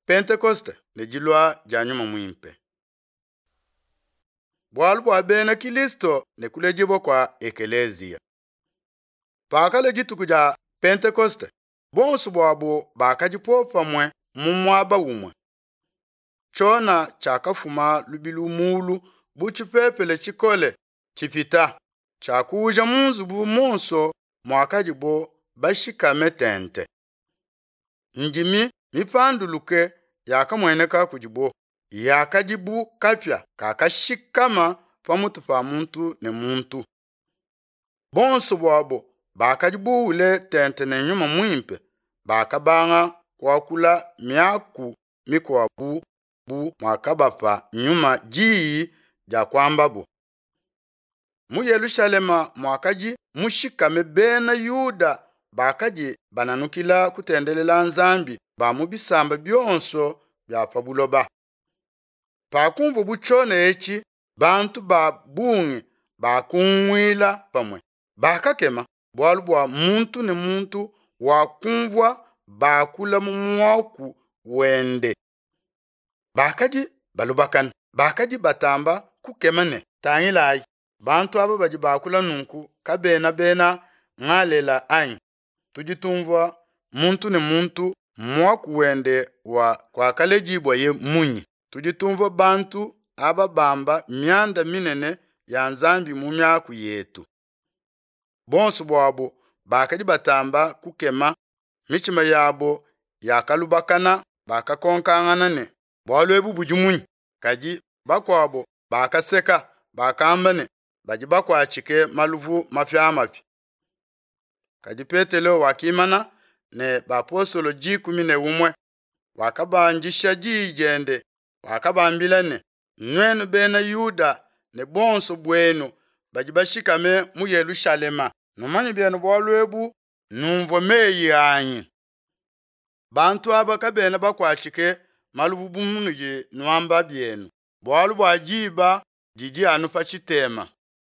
Pentekoste ne dilua dia Nyuma Muimpe. Bualu bua bena Kilisto ne kuledibua kua Ekeleziya. Pakalua dituku dia Pentekoste, bonso buabo bakadi popamue mu muaba umue. Tshiona tshiakafuma lubilu mulu bu tshipepele tshikole tshipita, tshiakuuja mu nzubu muonso muakadibo bashikame tente. Ndimi mipanduluke yakamueneka kudibo, yakadi bu kapia kakashikama pamutu pa muntu ne muntu. Bonso buabo bakadi buule tente ne Nyuma Muimpe, bakabanga kuakula miaku mikuabu bu muakabapa Nyuma diyi dia kuambabo. Mu Yelushalema muakadi mushikame bena Yuda bakadi bananukila kutendelela Nzambi ba mu bisamba bionso bia pa buloba. Pakumvua tshiona etshi, bantu ba bungi bakunguila pamue, bakakema bualu bua muntu ne muntu wakumvua bakula mu muaku wende. Bakadi balubakana, bakadi batamba kukema ne, tangilayi, bantu aba badi bakula nunku kabena bena Ngalela anyi? Tudi tumvua muntu ne muntu muaku wende wa kuakaledibuaye munyi? Tudi tumvua bantu aba bamba mianda minene ya Nzambi mu miaku yetu. Bonso buabo bakadi batamba kukema, mitshima yabo yakalubakana, bakakonkangana ne, bualu ebu budi munyi? Kadi bakuabo bakaseka, bakamba ne, badi bakuatshike maluvu mapiamapia. Kadi Petelo wakimana ne bapostolo 11, wakabandisha diyi diende, wakabambila ne, nuenu bena Yuda ne bonso buenu badi bashikame mu Yelushalema, numanye bienu bualu ebu, numvue meyi anyi. Bantu aba kabena bakuatshike maluvu bu munudi nuamba bienu, bualu bua diba didi anu pa tshitema.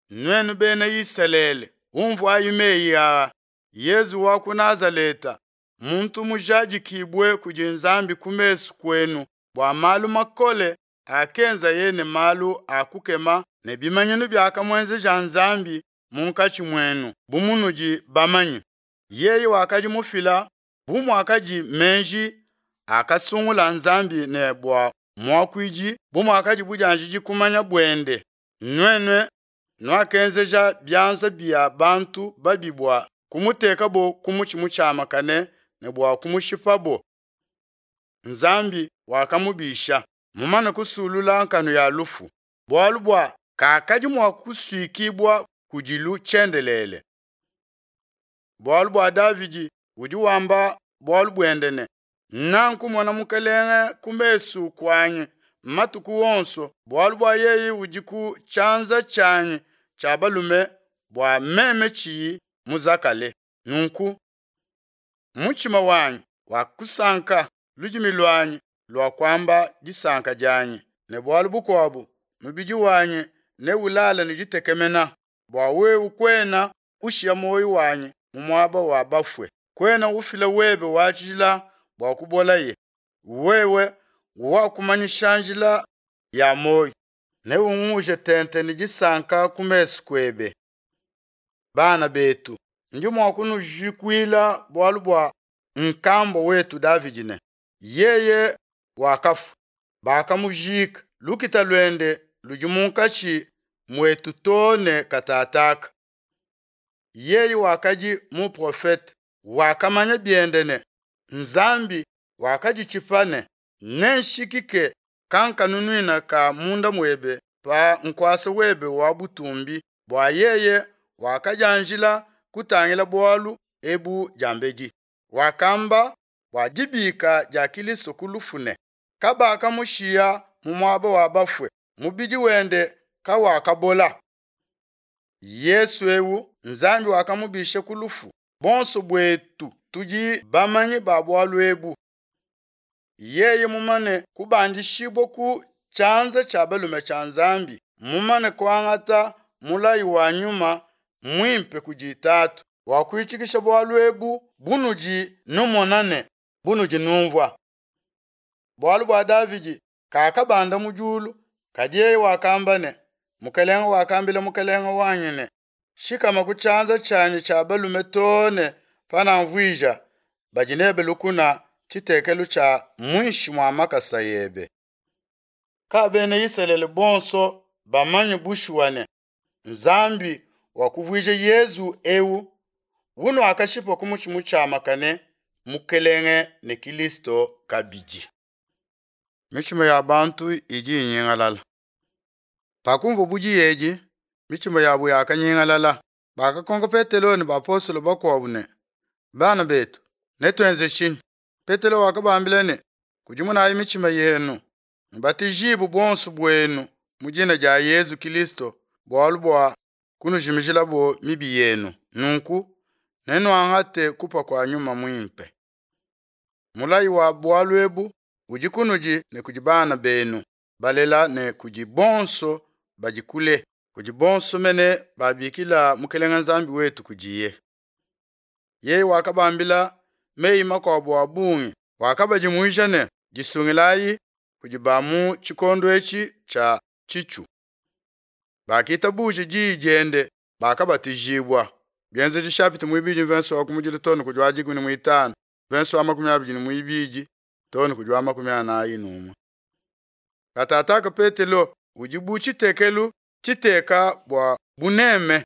Nuenu bena Isalele, umvuayi meyi aa, Yezu wa ku Nazaleta, muntu mujadikibue kudi Nzambi ku mesu kuenu bua malu makole akenzaye ne malu a kukema ne bimanyinu biakamuenzeja Nzambi munkatshi muenu bu munudi bamanye. Yeye wakadi mufila bu muakadi meji akasungula Nzambi ne bua muakuidi bu muakadi budianjidi kumanya buende. Nuenu nuakenzeja bianza bia bantu babi bua kumutekabo ku mutshi mutshiamakane ne bua kumushipabo. Nzambi wakamubisha, mumane kusulula nkanu ya lufu, bualu bua kakadi mua kusuikibua kudilu tshiendelele. Bualu bua Davidi udi wamba bualu buende ne, nankumona Mukelenge ku mesu kuanyi matuku onso, bualu bua yeye udi ku tshianza tshianyi tshia balume bua meme tshiyi muzakale. Nunku mutshima wanyi wakusanka, ludimi luanyi lua kuamba disanka dianyi, ne bualu bukuabu mubidi wanyi neulale ne ditekemena, bua wewe kuena ushiya muoyo wanyi mu muaba wa bafue, kuena ufila webe wa tshijila bua kubolaye. Wewe wakumanyisha njila ya muoyo, neunguje tente ne disanka ku mesu kuebe. Bana betu, ndi mua kunujikuila bualu bua nkambua wetu Davidi ne, yeye wakafua, bakamujika, lukita luende ludi munkatshi muetu too ne katataka. Yeye wakadi muprofete, wakamanya biende ne, Nzambi wakaditshipa ne, nenshikike kankanunuina ka munda muebe pa nkuasa webe wa butumbi, bua yeye wakadianjila kutangila bualu ebu diambedi. Wakamba bua dibika dia Kilisto ku lufu ne, kabakamushiya mu muaba wa bafue, mubidi wende kawakabola. Yesu eu Nzambi wakamubisha ku lufu, bonso buetu tudi bamanyi ba bualu ebu. Yeye mumane kubandishibua ku tshianza tshia balume tshia Nzambi, mumane kuangata mulayi wa Nyuma Muimpe kudi Tatu, wakuitshikisha bualu ebu bunudi numona ne bunudi numvua. Bualu bua Davidi kakabanda mu diulu, kadi yeye wakamba ne, Mukelenge wakambila Mukelenge wanyi ne, Shikama ku tshianza tshianyi tshia balume too ne panamvuija badi nebe lukuna tshitekelu tshia muinshi mua makasa ebe. Ka bena Isalele bonso bamanye bushuwa ne, Nzambi wakuvuija Yezu eu unuakashipa ku mutshi mutshiamakane Mukelenge ne Kilisto kabidi. Mitshima ya bantu idi inyingalala. Pakumvua diyi edi, mitshima yabu yakanyingalala. Bakakonka Petelo ne bapostolo bakuabu ne, Bana betu, netuenze tshinyi? Petelo wakabambila ne, Kudimunayi mitshima yenu, nubatijibue buonso buenu mu dina dia Yezu Kilisto bualu bua kunujimijilabo mibi yenu. Nunku nenuangate kupa kua Nyuma Muimpe. Mulayi wa bualu ebu udi kunudi ne kudi bana benu balela ne kudi bonso badi kule, kudi bonso mene babikila Mukelenge Nzambi wetu kudiye. Yeye wakabambila meyi makuabu a bungi, wakabadimuija ne, Disungilayi kudi ba mu tshikondo etshi tshia tshitshu. Bakitabuja diyi diende, bakabatijibua. Bienzedi chapitre muibidi mvenso wa kumudilu too ne kudi wa dikumi ne muitanu, mvenso wa 22 too ne kudi wa 41. Katataka Petelo udi bu tshitekelu tshiteka bua buneme,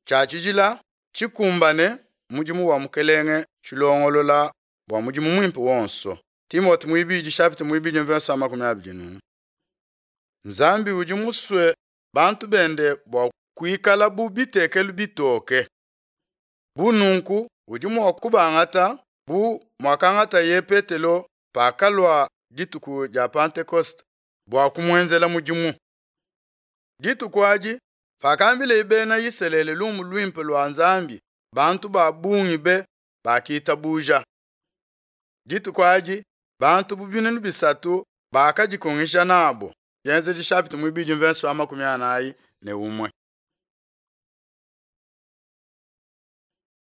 tshia tshijila, tshikumbane mudimu wa Mukelenge, tshilongolola bua mudimu muimpe wonso. Timote muibidi chapitre muibidi mvenso wa 21. Nzambi udi musue bantu bende bua kuikala bu bitekelu bitoke. Bu nunku udi mua kubangata bu muakangataye Petelo pakalua dituku dia Pentekoste bua kumuenzela mudimu. Dituku adi, pakambileye bena Isalele lumu luimpe lua Nzambi, bantu ba bungi be bakitabuja. Dituku adi, bantu bu 3000 bakadikungisha nabo. Bienzedi chapitre muibidi mvenso wa 41.